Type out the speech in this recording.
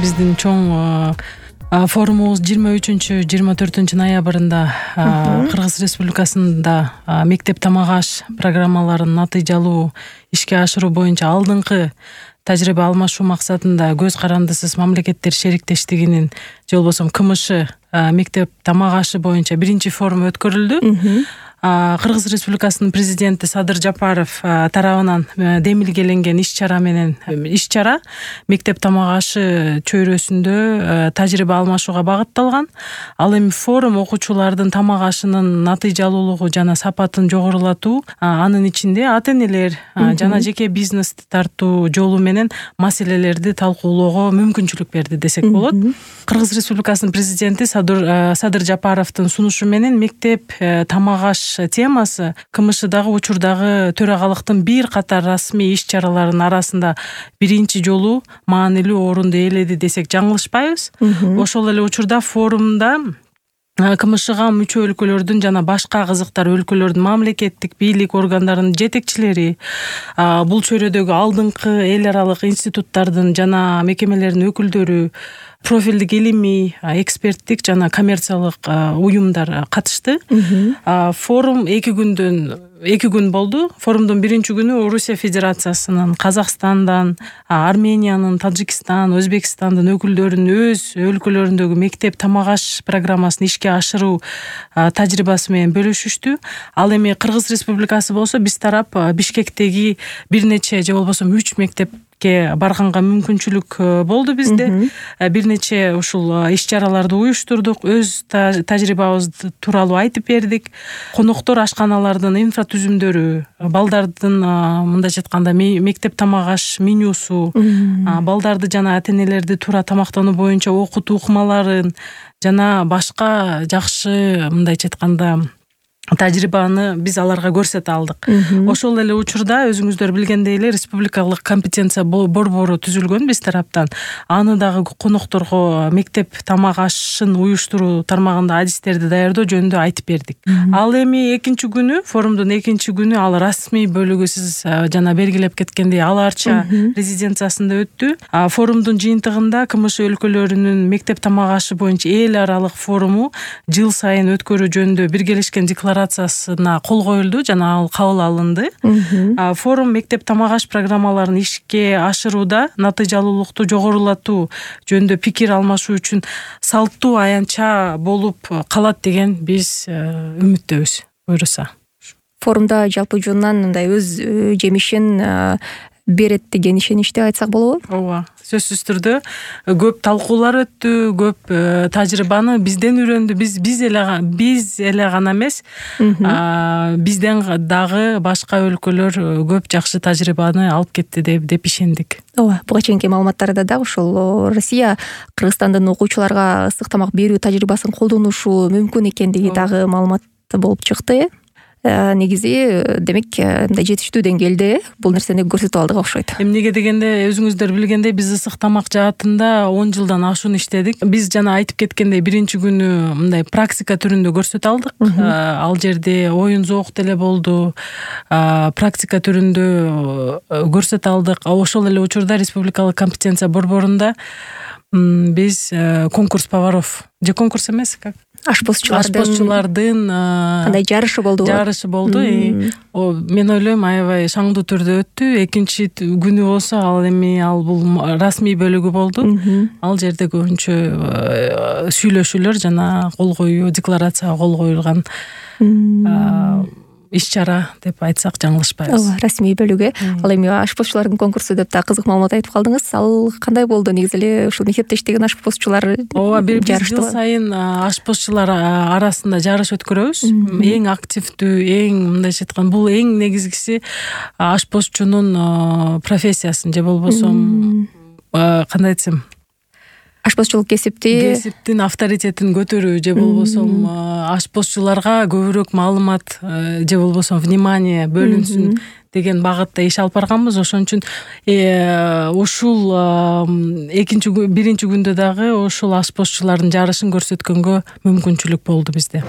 биздин чоң форумубуз 23-24 ноябрында Кыргыз Республикасында мектеп тамак аш программаларын натыйжалуу ишке ашыруу боюнча алдыңкы тажрыйба алмашуу максатында көз карандысыз мамлекеттер шериктештигинин же болбосо КМШ мектеп тамак ашы боюнча биринчи форум өткөрүлдү. Кыргыз Республикасынын президенти Садыр Жапаров тарабынан демилгеленген иш-чара мектеп тамак ашы чөйрөсүндө тажрыйба алмашууга багытталган. Ал эми форум окуучулардын тамак ашынын натыйжалуулугу жана сапатын жогорулатуу, анын ичинде ата-энелер жана жеке бизнести тартуу жолу менен маселелерди талкуулоого мүмкүнчүлүк берди десек болот. Кыргыз Республикасынын президенти Садыр Жапаровдун сунушу менен мектеп тамак аш темасы КМШдагы учурдагы төрагалыктын бир катар расмий иш-чараларынын арасында биринчи жолу маанилүү орунду ээледи десек жаңылышпайбыз. Ошол эле учурда форумда КМШга мүчө өлкөлөрдүн жана башка кызыктар өлкөлөрдүн мамлекеттик бийлик органдарынын жетекчилери, бул чөйрөдөгү алдыңкы эл аралык институттардын жана мекемелердин өкүлдөрү, профилдик илимий, эксперттик жана коммерциялык уюмдар катышты. Форум 2 күн болду. Форумдун биринчи күнү Орусия Федерациясынын, Казакстандан, Армениянын, Тажикстан, Өзбекстандын өкүлдөрүнүн өз өлкөлөрүндөгү мектеп тамак аш программасын ишке ашыруу тажрыйбасы менен бөлүшүштү. Ал эми Кыргыз Республикасы болсо биз тарап Бишкектеги бир нече же болбосо 3 мектепке барганга мүмкүнчүлүк болду бизде. Бир нече ушул иш-чараларды уюштурдук, өз тажрыйбабыз тууралуу айтып бердик. Коноктор ашканалардын инфратүзүмдөрү, балдардын мындайча айтканда мектеп тамак аш менюсу, балдарды жана ата-энелерди туура тамактануу боюнча окутуу ыкмаларын жана башка жакшы мындайча айтканда тажрыйбаны биз аларга көрсөтө алдык. Ошол эле учурда өзүңүздөр билгендей эле республикалык компетенция борбору түзүлгөн биз тараптан. Аны дагы конокторго мектеп тамак ашын уюштуруу тармагында адистерди даярдоо жөнүндө айтып бердик. Ал эми форумдун экинчи күнү ал расмий бөлүгү сиз жана белгилеп кеткендей Ала Арча резиденциясында өттү. Форумдун жыйынтыгында КМШ өлкөлөрүнүн мектеп тамак ашы боюнча эл аралык форуму жыл сайын өткөрүү жөнүндө биргелешкен декларациясына кол коюлду жана ал кабыл алынды. Форум мектеп тамак аш программаларын ишке ашырууда натыйжалуулукту жогорулатуу жөнүндө пикир алмашуу үчүн салттуу аянтча болуп калат деген биз үмүттөбүз. Буюрса. Форумда жалпы жонунан мындай өз жемишин берет деген ишеничте айтсак болобу? Ооба, сөзсүз түрдө көп талкуулар өттү, көп тажрыйбаны бизден үйрөндү. Биз эле гана эмес, бизден дагы башка өлкөлөр көп жакшы тажрыйбаны алып кетти деп ишендик. Ооба, буга чейинки маалыматтарда дагы ушул Россия Кыргызстандын окуучуларга ысык тамак берүү тажрыйбасын колдонушу мүмкүн экендиги дагы маалымат болуп чыкты. Негизи демек мындай жетиштүү деңгээлде бул нерсени көрсөтүп алдык окшойт. Эмнеге дегенде өзүңүздөр билгендей биз ысык тамак жаатында 10 жылдан ашуун иштедик. Биз жана айтып кеткендей биринчи күнү мындай практика түрүндө көрсөтө алдык. Ал жерде оюн зоок деле болду. Практика түрүндө көрсөтө алдык. Ошол эле учурда республикалык компетенция борборунда биз конкурс поваров же конкурс эмес, как ашпозчулардын кандай жарышы болду? Мен ойлойм аябай шаңдуу түрдө өттү. Экинчи күнү болсо ал бул расмий бөлүгү болду. Ал жерде көбүнчө сүйлөшүүлөр жана кол коюу, декларацияга кол коюлган иш-чара деп айтсак жаңылышпайбыз. Ооба, расмий бөлүгү. Ал эми ашпозчулардын конкурсу деп да кызык маалымат айтып калдыңыз. Ал кандай болду? Негизи эле ушул мектептештеген ашпозчулар ооба, биз жыл сайын ашпозчулар арасында жарыш өткөрөбүз. Эң активдүү, эң мындайча айтканда бул эң негизгиси ашпозчунун профессиясын же болбосо кандай айтсам ашпозчулук кесиптин авторитетин көтөрүү же болбосо ашпозчуларга көбүрөөк маалымат же болбосо внимание бөлүнсүн деген багытта иш алып барганбыз. Ошон үчүн ушул биринчи күндө дагы ушул ашпозчулардын жарышын көрсөткөнгө мүмкүнчүлүк болду бизде.